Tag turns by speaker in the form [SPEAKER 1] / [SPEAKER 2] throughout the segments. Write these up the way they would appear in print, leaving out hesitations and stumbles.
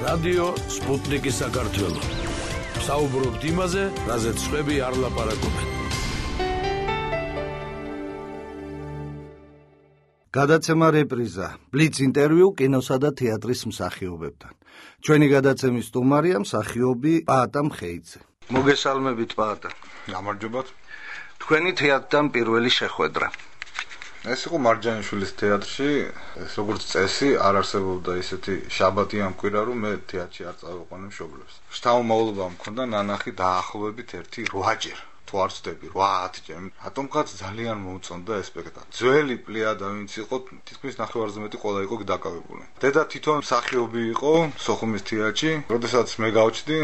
[SPEAKER 1] რადიო სპუტნიკი საქართველო. საუბრობთ იმაზე, რაზეც სხვები არ ლაპარაკობენ.
[SPEAKER 2] გადაცემა რეპრიზა, ბლიც ინტერვიუ კინოსა და თეატრის მსახიობებთან. ჩვენი გადაცემის სტუმარია მსახიობი პაატა მხეიძე. მოგესალმებით პაატა.
[SPEAKER 3] გამარჯობათ.
[SPEAKER 2] თქვენი თეატრთან პირველი შეხვედრა.
[SPEAKER 3] ეს იყო მარჯანიშვილის თეატრში, ეს როგორც წესი არ არსებობდა ისეთი შაბათი ამ კვირა, რომ მე თეატრში არ წავიყვანე მშობლებს. შთამომავლობა მქონდა ნანახი დაახლოებით 1-8 ჯერ. თუ არ ვცდები 8-10 ჯერ. რატომღაც ძალიან მოუწონდა ეს სპექტაკლი. ძველი პლიადა ვინც იყო, თითქმის ნახევარზე მეტი ყველა იყო დაკავებული. დედა თვითონ მსახიობი იყო სოხუმის თეატრში, როდესაც მე გავჩდი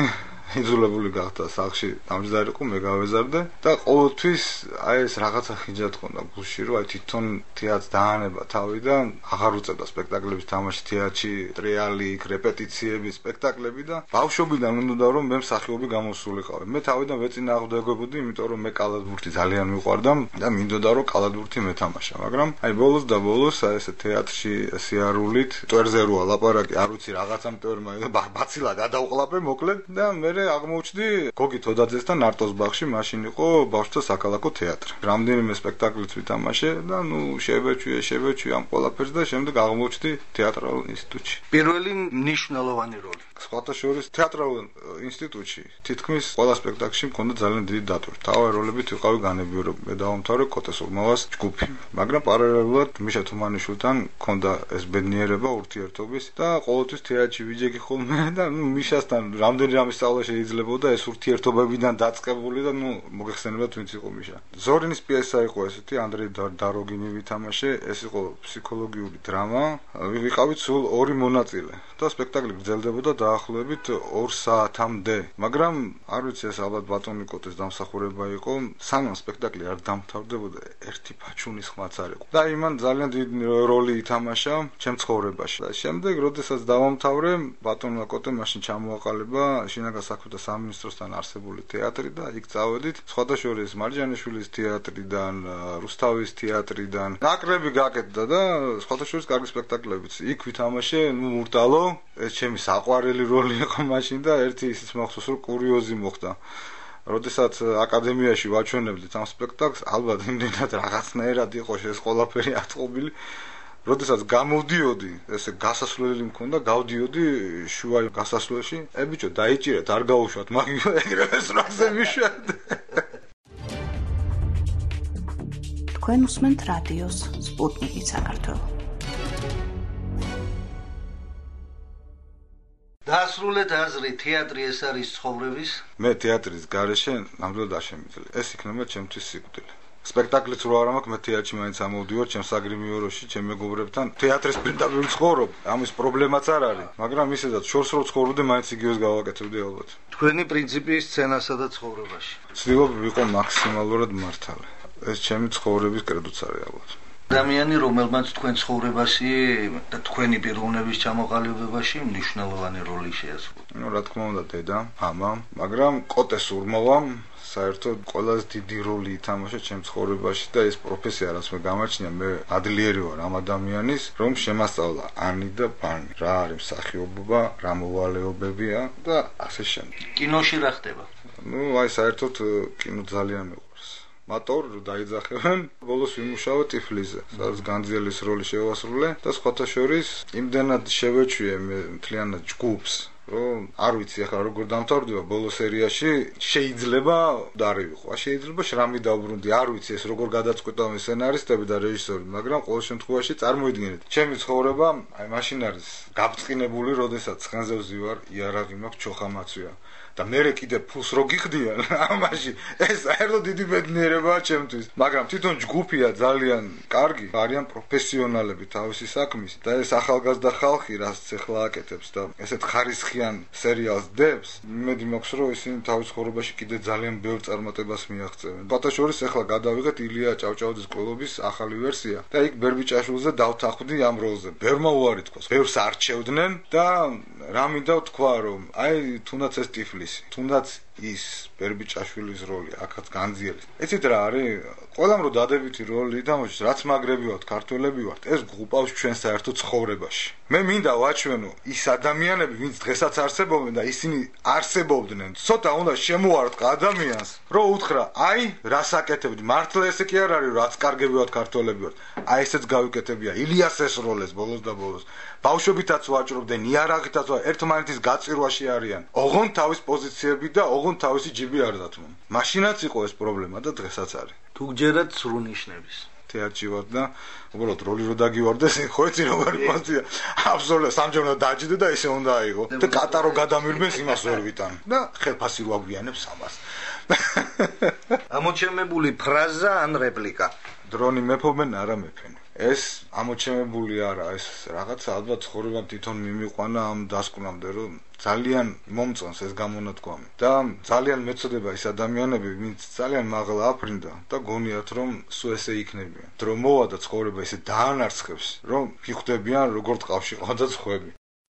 [SPEAKER 3] იძულებული გახდა სახლში დამჯდარიყო, მე გავეზარდე და ყოველთვის აი ეს რაღაცა ხიჯად ხონდა გულში, რომ აი თვითონ თეატრს დაანება თავიდან, აღარ უწევდა სპექტაკლების თამაში თეატრში, ტრიალი, რეპეტიციები, სპექტაკლები და ბავშვობიდან მინდოდა რომ მე მსახიობი გამოსულიყავი. მე თავიდან ვეწინააღმდეგებოდი, იმიტომ რომ მე კალათბურთი ძალიან მიყვარდა და მინდოდა რომ კალათბურთი მეთამაშა, მაგრამ აი ბოლოს და ბოლოს აი ეს თეატრში სიარულით, მტვერზე როა ლაპარაკი, არ ვიცი რაღაცა მტვერმა ბაცილა გადავყლაპე მოკლედ და მე აღმოჩნდი გოგი თოდაძესთან ნარტოს ბაღში, მაშინ იყო ბავშვთა საქალაქო თეატრი. რამდენიმე სპექტაკლიც ვითამაშე და შევეჩვი ამ ყველაფერს და შემდეგ აღმოჩნდი თეატრალურ ინსტიტუტში.
[SPEAKER 2] პირველი მნიშვნელოვანი როლი.
[SPEAKER 3] სხვათა შორის თეატრალურ ინსტიტუტში თითქმის ყველა სპექტაკლში მქონდა ძალიან დიდი დატვირთვა. თავი როლებით ვიყავი განებიურო, მე დავამთავრე კოტეს ურმავას ჯგუფი. მაგრამ პარალელურად მიშა თუმანიშვილთან მქონდა ეს ბედნიერება ურთიერთობის და ყოველთვის თეატრში ვიჯექი ხოლმე და მიშასთან რამდენი რამე სწავლა შეიძლებოდა ეს ურთიერთობებიდან დაწყებული და მოგეხსენებათ ვინც იყო მიშა. ზორინის პიესა იყო ესეთი, ანდრეი დაროგინი ვითამაშე, ეს იყო ფსიქოლოგიური დრამა, ვიყავით სულ 2 მონაწილე და სპექტაკლი გრძელდებოდა დაახლოებით 2 საათამდე. მაგრამ არ ვიცი ეს ალბათ ბატონი კოტეს დამსახურება იყო, სანამ სპექტაკლი არ დამთავრდებოდა, ერთი ფაჩუნის ხმაც არ იყო. და იმან ძალიან დიდი როლი ითამაშა ჩემ ცხოვრებაში. და შემდეგ, როდესაც დავამთავრე, ბატონმა კოტემ მაშინ ჩამოაყალიბა შინაგან საქმეთა სამინისტროსთან არსებული თეატრი და იქ წავედით, სხვათა შორის მარჯანიშვილის თეატრიდან, რუსთავის თეატრიდან. ნაკრები გაკეთდა და სხვათა შორის კარგი სპექტაკლებიც. იქ ვითამაშე, მურტალო, ეს ჩემი საყვარელი როლი იყო მაშინ და ერთი ისიც მახსოვს, რომ კურიოზი მოხდა. როდესაც აკადემიაში ვაჩვენებდით ამ სპექტაკლს, ალბათ იმდენად რაღაცნაირად იყო ეს ყველაფერი ატყობილი. როდესაც გამოვდიოდი, ესე გასასვლელი მქონდა, გავდიოდი შუა გასასვლელში, ბიჭო, დაიჭირეთ, არ გაუშვათ, მაგიო ეგრევე სრაგზე მიშვათ.
[SPEAKER 4] თქვენ უსმენთ რადიოს სპუტნიკი საქართველო.
[SPEAKER 2] დაასრულეთ აზრი, თეატრი ეს არის ცხოვრების.
[SPEAKER 3] მე თეატრის გარეშე ნამდვილად არ შემიძლია. ეს იქნება ჩემთვის სიკვდილი. სპექტაკლიც რო არ მაქვს, მე თეატრში მაინც ამოვდივარ, ჩემ საგრიმიოროში, ჩემ მეგობრებთან. თეატრის პირდაპირ ვცხოვრობ, ამის პრობლემაც არ არის, მაგრამ ისედაც შორს რო ცხოვრობდი, მაინც იგივეს გავაკეთებდი ალბათ.
[SPEAKER 2] თქვენი პრინციპი სცენასა და ცხოვრებაში.
[SPEAKER 3] ვცდილობ ვიყო მაქსიმალურად მართალი. ეს ჩემი ცხოვრების კრედოც არის ალბათ.
[SPEAKER 2] ადამიანი, რომელმაც თქვენ ცხოვრებაში და თქვენი პიროვნების ჩამოყალიბებაში მნიშვნელოვანი როლი შეასრულა.
[SPEAKER 3] რა თქმა უნდა, დედა, მამა, მაგრამ კოტეს ურმავამ საერთოდ ყველაზე დიდი როლი ითამაშა ჩემ ცხოვრებაში და ეს პროფესია, რაც მე გამაჩნია, მე ადლიერი ვარ ამ ადამიანის, რომ შემასწავლა ანი და ბანი, რა არის მსახიობობა, რა მოვალეობებია და ასე შემდეგ.
[SPEAKER 2] კინოში რა ხდება?
[SPEAKER 3] აი საერთოდ კინო ძალიან მეყვარს. მატორ დაიძახებენ, ბოლოს ვიმუშავე ტიფლიზე, სადაც განძიელის როლი შევასრულე და სხვათა შორის იმდენად შევეჩვიე მე მთლიანად ჯგუფს, რომ არ ვიცი ახლა როგორ დამთავრდება ბოლო სერიაში, შეიძლება დარივიყო, შეიძლება შრამი დავბრუნდი, არ ვიცი ეს როგორ გადაწყვეტავენ სცენარისტები და რეჟისორი, მაგრამ ყოველ შემთხვევაში წარმოიდგინეთ, ჩემი ცხოვრება აი მაშინ არის გაბწყინებული, როდესაც ცხენზე ვზივარ, იარაღი მაქვს, ჩოხა მაცვია. და მე კიდე ფულს რო გიხდიან ამაში ეს საერთოდ დიდი ბედნიერებაა ჩემთვის, მაგრამ თვითონ ჯგუფია ძალიან კარგი, არიან პროფესიონალები თავისი საქმის და ეს ახალგაზრდა ხალხი, რაც ახლა აკეთებს და ესეთ ხარისხიან სერიალს დებს, იმედი მაქვს, რომ ისინი თავის ცხოვრებაში კიდე ძალიან ბევრ წარმატებას მიაღწევენ. ბატაშორის ახლა გადავიღეთ ილია ჭავჭავაძის კლუბის ახალი ვერსია და იქ ბერბიჭაშვილზე დავთანხმდი ამ როლზე. ბევრმა უარი თქვა, ბევრს არჩევდნენ და რა მინდა ვთქვა, რომ აი თუნდაც ეს ტიფლისი, თუნდაც ის ბერბიჭაშვილის როლი აქაც განძიელი. ეცით რა არის? ყველამ რო დადებითი როლი დამოჩნდეს, რაც მაგრები ვართ, ქართველები ვართ, ეს გყავს ჩვენ საერთო ცხოვრებაში. მე მინდა ვაჩვენო ის ადამიანები, ვინც დღესაც არსებობენ და ისინი არსებობდნენ. ცოტა უნდა შემოარტყ ადამიანს, რომ უთხრა, აი, რას აკეთებდი? მართლა ესე კი არ არის, რაც კარგები ვართ, ქართველები ვართ. აი ესეც გავიკეთებია. ილიას ეს როლეს ბოლოს და ბოლოს. ბავშვებითაც ვაჭრობდნენ, იარაღითაც ერთმანეთის გაწირვაში არიან. ოღონდ თავის პოზიციები და ოღონდ თავისი ჯიბი არ დათმობ. მაშინაც იყო ეს პრობლემა და დღესაც არის.
[SPEAKER 2] თუ გჯერათ სრულნიშნების
[SPEAKER 3] თეატრში ვარ და უბრალოდ როლი რო დაგივარდეს, ხო იცი როგორი პოზიცია. აბსოლუტურად სამჯერნო დაჯდე და ესე უნდა აიღო. და კატარო გადამირბეს იმას ვერ ვიტან. და ხელფასი რო აგვიანებს ამას.
[SPEAKER 2] ამოჩემებული ფრაზა ან რეპლიკა.
[SPEAKER 3] დრონი მეფობენ, არა მეფენ. ეს ამოჩემებული არა, ეს რაღაცა ალბათ ცხოვრებამ თვითონ მიმიყვანა ამ დასკვნამდე, რომ ძალიან მომწონს ეს გამონათქვამი და ძალიან მეწოდება ის ადამიანები, ვინც ძალიან მაღლა აფრინდა და გონიათ, რომ სულ ესე იქნებიან. დრო მოვა და ცხოვრება ესე დაანარცხებს, რომ გიხვდებიან, როგორ ტყავში ყავდა ხვები.